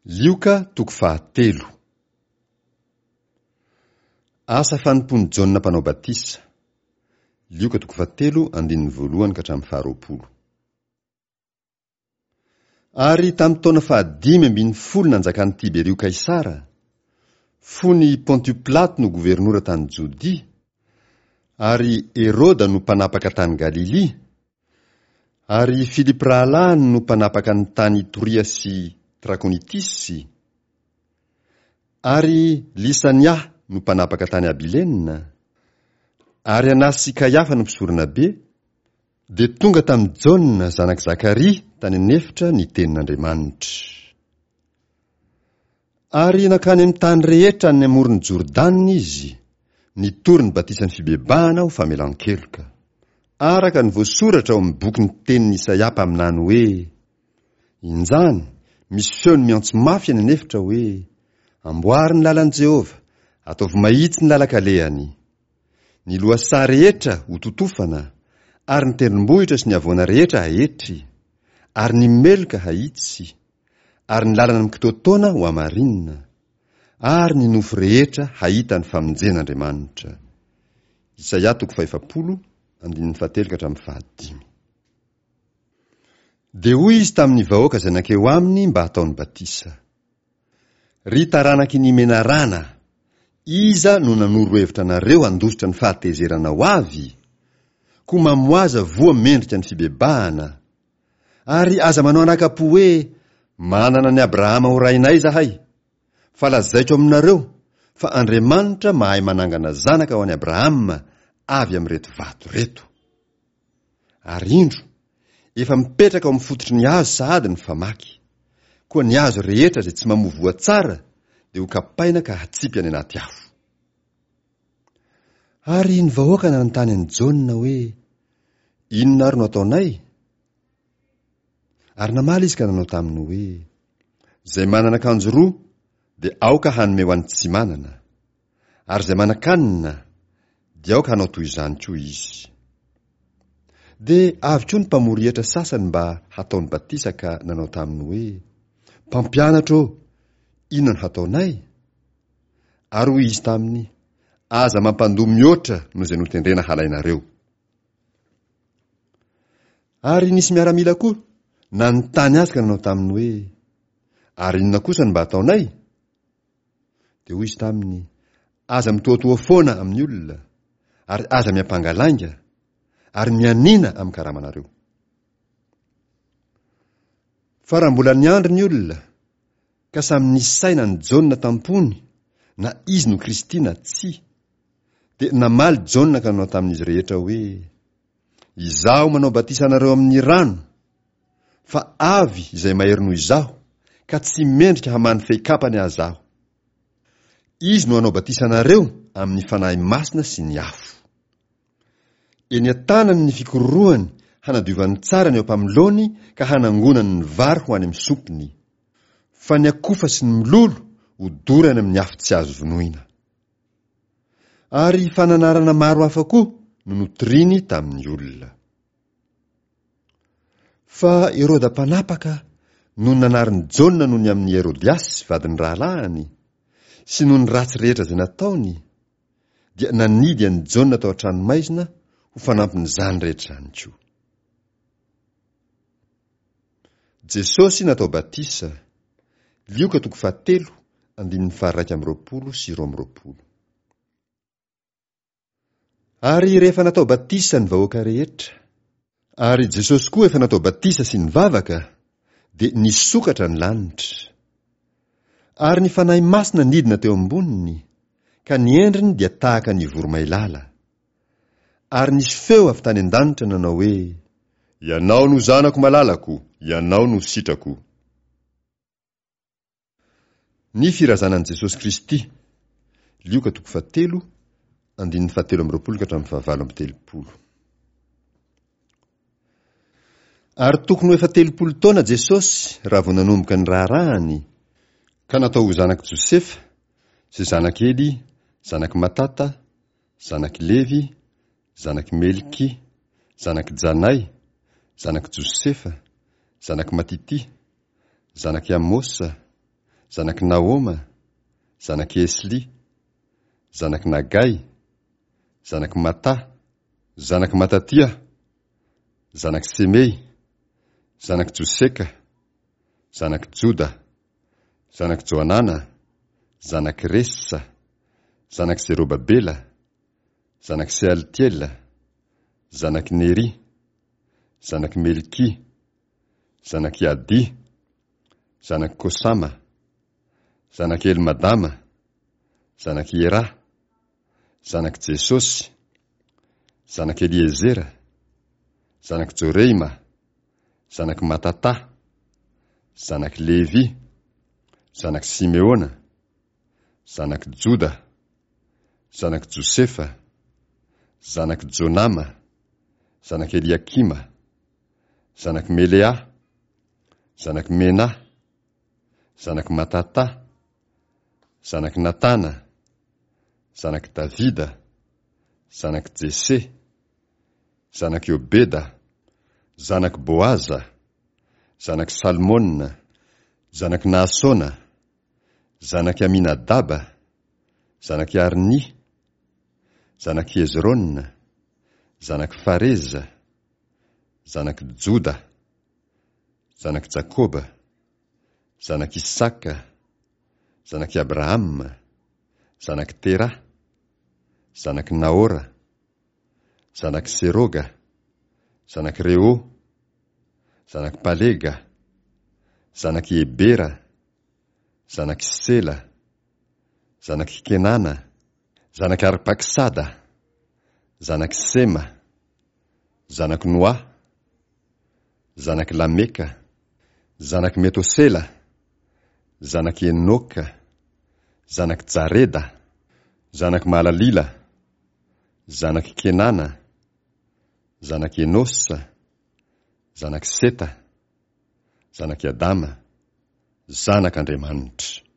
Lioka toko fahatelo. Asa fanompoan'i Jaona Mpanao Batisa. Lioka toko fahatelo andininy voalohany ka hatramin'ny faharoapolo. Ary tamin'ny taona fahadimy ambin'ny folo nanjakan'i Tiberio Kaisara, fony Pontio Pilato no governora tany Jodia, ary Heroda no mpanapaka tany Galilia, ary i Filipo rahalahiny no mpanapaka ny tany Itoria sy Trakonitisy, ary Lysania no mpanapaka tany Abilena, ary Anasy sy Kaiafa no mpisoronabe, dia tonga tamin'i Jaona zanak'i Zakaria tany an'efitra ny tenin'Andriamanitra. Ary nankany amin'ny tany rehetra any amoron'i Jordana izy, nitory ny batisan'ny fibebahana ho famelan-keloka. Araka ny voasoratra ao amin'ny bokin'ny tenin'i Isaia mpaminany hoe, Injany, misy feony miantso mafy any an'efitra hoe, Amboary ny lalan'i Jehovah, ataovy mahitsy ny lalan-kalehany. Ny lohasaha rehetra hototofana, ary ny tendrombohitra sy ny havoana rehetra haetry, ary ny meloka hahitsy, ary ny lalana mikitoatoana ho hamarinina, ary ny nofo rehetra hahita ny famonjen'Andriamanitra. Isaia toko fahefapolo, andininy fahatelo ka hatramin'ny fahadimy. Dia hoy izy tamin'ny vahoaka izay nankeo aminy mba hataony batisa, Ry taranaky ny menarana, iza no nanoro hevitra anareo handositra ny fahatezerana ho avy? Koa mamoaza voa mendrika ny fibebahana, Ary aza manao anaka-po hoe, Manana an'i Abrahama ho rainay izahay. Fa lazaiko aminareo fa Andriamanitra mahay manangana zanaka ho an'i Abrahama avy amin'ireto vato ireto. Ary indro, efa mipetraka ao amin'ny fototry ny hazo sahady ny famaky. Koa ny hazo rehetra izay tsy mamoa voa tsara dia hokapaina ka hatsipy any anaty afo. Ary ny vahoaka nanontany an'i Jaona hoe, Inona ary no ataonay? Ary namaly izy ka nanao taminy hoe, Izay manana akanjo roa dia aoka hanome ho an'ny tsy manana, ary izay manan-kanina dia aoka hanao toy izany koa izy. Dia avy koa ny mpamory hetra sasany mba hataony batisa ka nanao taminy hoe, Mpampianatra ô, inona no hataonay? Ary hoy izy taminy, Aza mampandoa mihoatra noho izay notendrena halainareo. Ary nisy miaramila koa nanontany azy ka nanao taminy hoe, Ary inona kosa no mba hataonay? Dia hoy izy taminy, Aza mitohatoha foana amin'ny olona, ary aza miampanga lainga, ary mianiana amin'ny karamanareo. Fa raha mbola niandry ny olona, ka samy nisaina an'i Jaona tam-pony na izy no Kristy na tsia. Dia namaly Jaona ka nanao tamin'izy rehetra hoe, Izaho manao batisa anareo amin'ny rano, fa avy izay mahery noho izaho, ka tsy mendrika hamaha ny fehi-kapany aza aho. Izy no hanao batisa anareo amin'ny Fanahy Masina sy ny afo. Eny an-tanany ny fikororohany hanadiovany tsara ny eo am-pamoloany ka hanangonany ny vary ho any amin'ny sompiny. Fa ny akofa sy ny mololo hodorany amin'ny afo tsy azo vonoina. Ary fananarana maro hafa koa no notoriny tamin'ny olona. Fa Heroda mpanapaka nony nanarin'i Jaona noho ny amin'i Herodiasy vadin'ny rahalahiny, sy noho ny ratsy rehetra izay nataony, dia nanidy an'i Jaona tao an-tranomaizina ho fanampin'izany rehetra izany koa. Jesosy natao batisa, Lioka toko fahatelo, andininy faha-21 sy 22. Ary rehefa natao batisa ny vahoaka rehetra, ary Jesosy koa efa natao batisa sy nivavaka, dia nisokatra ny lanitra. Ary ny Fanahy Masina nidina teo amboniny, ka ny endriny dia tahaka ny voromailala. Ary nisy feo avy tany an-danitra nanao hoe, Ianao no Zanako malalako, Ianao no sitrako. Ny firazanan'i Jesosy Kristy, Lioka toko fahatelo, andininy fahatelo amby roapolo ka hatramin'ny fahavalo amby telopolo. Ary tokony ho efa 30 taona Jesosy raha vao nanomboka ny raharahany, ka natao ho zanak'i Josefa, izay zanak'i Ely, zanak'i Matata, zanak'i Levy, zanak'i Melky, zanak'i Janay, zanak'i Josefa, zanak'i Matitia, zanak'i Amosa, zanak'i Nahoma, zanak'i Esly, zanak'i Nagay, zanak'i Matà, zanak'i Matatia, zanak'i Semey, zanak'i Joseka, zanak'i Joda, zanak'i Johanana, zanak'i Resa, zanak'i Zerobabela, zanak'i Sealtiela, zanak'i Nery, zanak'i Melky, zanak'i Ady, zanak'i Kosama, zanak'i Elmadama, zanak'i Era, zanak'i Jesosy, zanak'i Eliezera, zanak'i Joreima, zanak'i Matatà, zanak'i Levy, zanak'i Simeona, zanak'i Joda, zanak'i Josefa, zanak'i Jonama, zanak'i Eliakima, zanak'i Melea, zanak'i Mena, zanak'i Matatà, zanak'i Natana, zanak'i Davida, zanak'i Jese, zanak'i Obeda, zanak'i Boaza, zanak'i Salmona, zanak'i Nahasona, zanak'i Aminadaba, zanak'i Arny, zanak'i Hezrona, zanak'i Fareza, zanak'i Joda, zanak'i Jakoba, zanak'i Isaka, zanak'i Abrahama, zanak'i Tera, zanak'i Nahora, zanak'i Seroga, zanak'i Reo, zanak'i Palega, zanak'i Ebera, zanak'i Sela, zanak'i Kenana, zanak'i Arpaksada, zanak'i Sema, zanak'i Noa, zanak'i Lameka, zanak'i Metosela, zanak'i Enoka, zanak'i Jareda, zanak'i Mahalalila, zanak'i Kenana, zanak'i Enosa, zanak'i Seta, zanak'i Adama, zanak'Andriamanitra.